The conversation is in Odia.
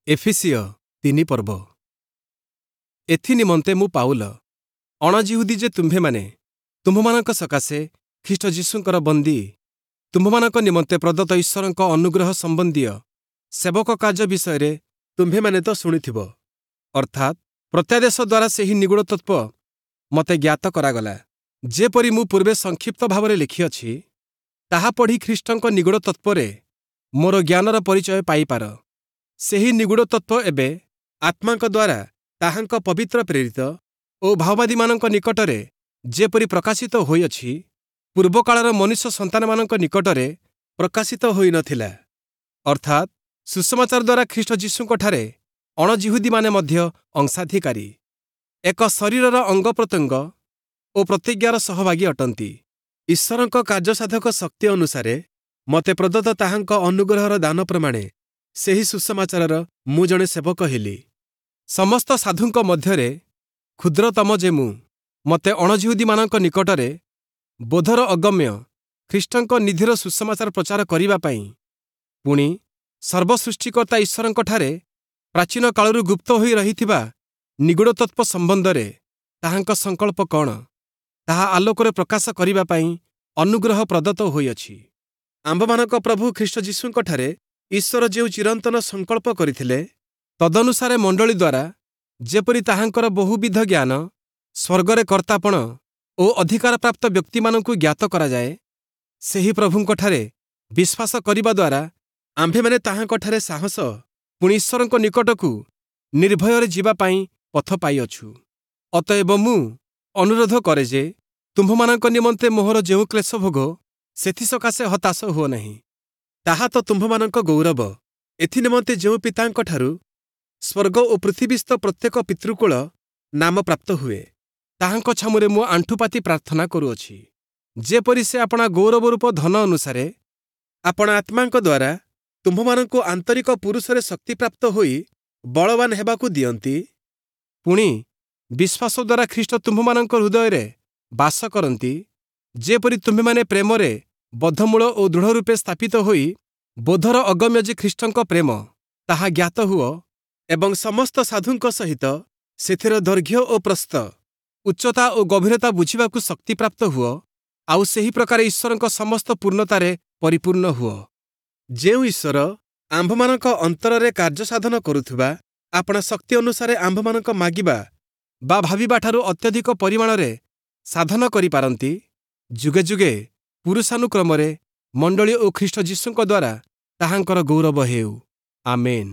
ଏଫିସୀୟ 3 ପର୍ବ। ଏଥି ନିମନ୍ତେ ମୁଁ ପାଉଲ, ଅଣଯିହୁଦୀ ଯେ ତୁମ୍ଭେମାନେ, ତୁମ୍ଭମାନଙ୍କ ସକାଶେ ଖ୍ରୀଷ୍ଟ ଯୀଶୁଙ୍କର ବନ୍ଦୀ, ତୁମ୍ଭମାନଙ୍କ ନିମନ୍ତେ ପ୍ରଦତ୍ତ ଈଶ୍ୱରଙ୍କ ଅନୁଗ୍ରହ ସମ୍ବନ୍ଧୀୟ ସେବକ କାର୍ଯ୍ୟ ବିଷୟରେ ତୁମ୍ଭେମାନେ ତ ଶୁଣିଥିବ। ଅର୍ଥାତ୍ ପ୍ରତ୍ୟାଦେଶ ଦ୍ୱାରା ସେହି ନିଗୂଢ଼ ତତ୍ତ୍ୱ ମୋତେ ଜ୍ଞାତ କରାଗଲା, ଯେପରି ମୁଁ ପୂର୍ବେ ସଂକ୍ଷିପ୍ତ ଭାବରେ ଲେଖିଅଛି, ତାହା ପଢ଼ି ଖ୍ରୀଷ୍ଟଙ୍କ ନିଗୂଢ଼ ତତ୍ତ୍ୱରେ ମୋର ଜ୍ଞାନର ପରିଚୟ ପାଇପାର। ସେହି ନିଗୂଢ଼ ତତ୍ତ୍ୱ ଏବେ ଆତ୍ମାଙ୍କ ଦ୍ୱାରା ତାହାଙ୍କ ପବିତ୍ର ପ୍ରେରିତ ଓ ଭାବବାଦୀମାନଙ୍କ ନିକଟରେ ଯେପରି ପ୍ରକାଶିତ ହୋଇଅଛି, ପୂର୍ବକାଳର ମନୁଷ୍ୟ ସନ୍ତାନମାନଙ୍କ ନିକଟରେ ପ୍ରକାଶିତ ହୋଇନଥିଲା। ଅର୍ଥାତ୍ ସୁସମାଚାର ଦ୍ୱାରା ଖ୍ରୀଷ୍ଟ ଯୀଶୁଙ୍କଠାରେ ଅଣଯିହୁଦୀମାନେ ମଧ୍ୟ ଅଂଶାଧିକାରୀ, ଏକ ଶରୀରର ଅଙ୍ଗ ପ୍ରତ୍ୟଙ୍ଗ ଓ ପ୍ରତିଜ୍ଞାର ସହଭାଗୀ ଅଟନ୍ତି। ଈଶ୍ୱରଙ୍କ କାର୍ଯ୍ୟସାଧକ ଶକ୍ତି ଅନୁସାରେ ମୋତେ ପ୍ରଦତ୍ତ ତାହାଙ୍କ ଅନୁଗ୍ରହର ଦାନ ପ୍ରମାଣେ ସେହି ସୁସମାଚାରର ମୁଁ ଜଣେ ସେବକ ହେଲି। ସମସ୍ତ ସାଧୁଙ୍କ ମଧ୍ୟରେ କ୍ଷୁଦ୍ରତମ ଯେ ମୁଁ, ମୋତେ ଅଣଯିହୁଦୀମାନଙ୍କ ନିକଟରେ ବୋଧର ଅଗମ୍ୟ ଖ୍ରୀଷ୍ଟଙ୍କ ନିଧିର ସୁସମାଚାର ପ୍ରଚାର କରିବା ପାଇଁ, ପୁଣି ସର୍ବସୃଷ୍ଟିକର୍ତ୍ତା ଈଶ୍ୱରଙ୍କଠାରେ ପ୍ରାଚୀନ କାଳରୁ ଗୁପ୍ତ ହୋଇ ରହିଥିବା ନିଗୂଢ଼ ତତ୍ତ୍ୱ ସମ୍ବନ୍ଧରେ ତାହାଙ୍କ ସଂକଳ୍ପ କ'ଣ, ତାହା ଆଲୋକରେ ପ୍ରକାଶ କରିବା ପାଇଁ ଅନୁଗ୍ରହ ପ୍ରଦତ୍ତ ହୋଇଅଛି। ଆମ୍ଭମାନଙ୍କ ପ୍ରଭୁ ଖ୍ରୀଷ୍ଟ ଯୀଶୁଙ୍କଠାରେ ଈଶ୍ୱର ଯେଉଁ ଚିରନ୍ତନ ସଂକଳ୍ପ କରିଥିଲେ, ତଦନୁସାରେ ମଣ୍ଡଳୀ ଦ୍ୱାରା ଯେପରି ତାହାଙ୍କର ବହୁବିଧ ଜ୍ଞାନ ସ୍ୱର୍ଗରେ କର୍ତ୍ତାପଣ ଓ ଅଧିକାରପ୍ରାପ୍ତ ବ୍ୟକ୍ତିମାନଙ୍କୁ ଜ୍ଞାତ କରାଯାଏ, ସେହି ପ୍ରଭୁଙ୍କଠାରେ ବିଶ୍ୱାସ କରିବା ଦ୍ୱାରା ଆମ୍ଭେମାନେ ତାହାଙ୍କଠାରେ ସାହସ, ପୁଣି ଈଶ୍ୱରଙ୍କ ନିକଟକୁ ନିର୍ଭୟରେ ଯିବା ପାଇଁ ପଥ ପାଇଅଛୁ। ଅତଏବ ମୁଁ ଅନୁରୋଧ କରେ ଯେ ତୁମ୍ଭମାନଙ୍କ ନିମନ୍ତେ ମୋହର ଯେଉଁ କ୍ଲେଶ ଭୋଗ, ସେଥିସକାଶେ ହତାଶ ହୁଅ ନାହିଁ। ତାହା ତ ତୁମ୍ଭମାନଙ୍କ ଗୌରବ। ଏଥି ନିମନ୍ତେ ଯେଉଁ ପିତାଙ୍କଠାରୁ ସ୍ୱର୍ଗ ଓ ପୃଥିବୀସ୍ଥ ପ୍ରତ୍ୟେକ ପିତୃକୁଳ ନାମ ପ୍ରାପ୍ତ ହୁଏ, ତାହାଙ୍କ ଛାମୁରେ ମୁଁ ଆଣ୍ଠୁପାତି ପ୍ରାର୍ଥନା କରୁଅଛି, ଯେପରି ସେ ଆପଣା ଗୌରବରୂପ ଧନ ଅନୁସାରେ ଆପଣା ଆତ୍ମାଙ୍କ ଦ୍ୱାରା ତୁମ୍ଭମାନଙ୍କୁ ଆନ୍ତରିକ ପୁରୁଷରେ ଶକ୍ତିପ୍ରାପ୍ତ ହୋଇ ବଳବାନ ହେବାକୁ ଦିଅନ୍ତି। ପୁଣି ବିଶ୍ୱାସ ଦ୍ୱାରା ଖ୍ରୀଷ୍ଟ ତୁମ୍ଭମାନଙ୍କ ହୃଦୟରେ ବାସ କରନ୍ତି, ଯେପରି ତୁମ୍ଭେମାନେ ପ୍ରେମରେ ବଦ୍ଧମୂଳ ଓ ଦୃଢ଼ ରୂପେ ସ୍ଥାପିତ ହୋଇ ବୋଧର ଅଗମ୍ୟ ଯେ ଖ୍ରୀଷ୍ଟଙ୍କ ପ୍ରେମ, ତାହା ଜ୍ଞାତ ହୁଅ ଏବଂ ସମସ୍ତ ସାଧୁଙ୍କ ସହିତ ସେଥିର ଦୈର୍ଘ୍ୟ ଓ ପ୍ରସ୍ଥ, ଉଚ୍ଚତା ଓ ଗଭୀରତା ବୁଝିବାକୁ ଶକ୍ତିପ୍ରାପ୍ତ ହୁଅ, ଆଉ ସେହି ପ୍ରକାର ଈଶ୍ୱରଙ୍କ ସମସ୍ତ ପୂର୍ଣ୍ଣତାରେ ପରିପୂର୍ଣ୍ଣ ହୁଅ। ଯେଉଁ ଈଶ୍ୱର ଆମ୍ଭମାନଙ୍କ ଅନ୍ତରରେ କାର୍ଯ୍ୟ ସାଧନ କରୁଥିବା ଆପଣା ଶକ୍ତି ଅନୁସାରେ ଆମ୍ଭମାନଙ୍କ ମାଗିବା ବା ଭାବିବାଠାରୁ ଅତ୍ୟଧିକ ପରିମାଣରେ ସାଧନ କରିପାରନ୍ତି, ଯୁଗେ ଯୁଗେ ପୁରୁଷାନୁକ୍ରମରେ ମଣ୍ଡଳୀ ଓ ଖ୍ରୀଷ୍ଟ ଯୀଶୁଙ୍କ ଦ୍ୱାରା ତାହାଙ୍କର ଗୌରବ ହେଉ। ଆମେନ୍।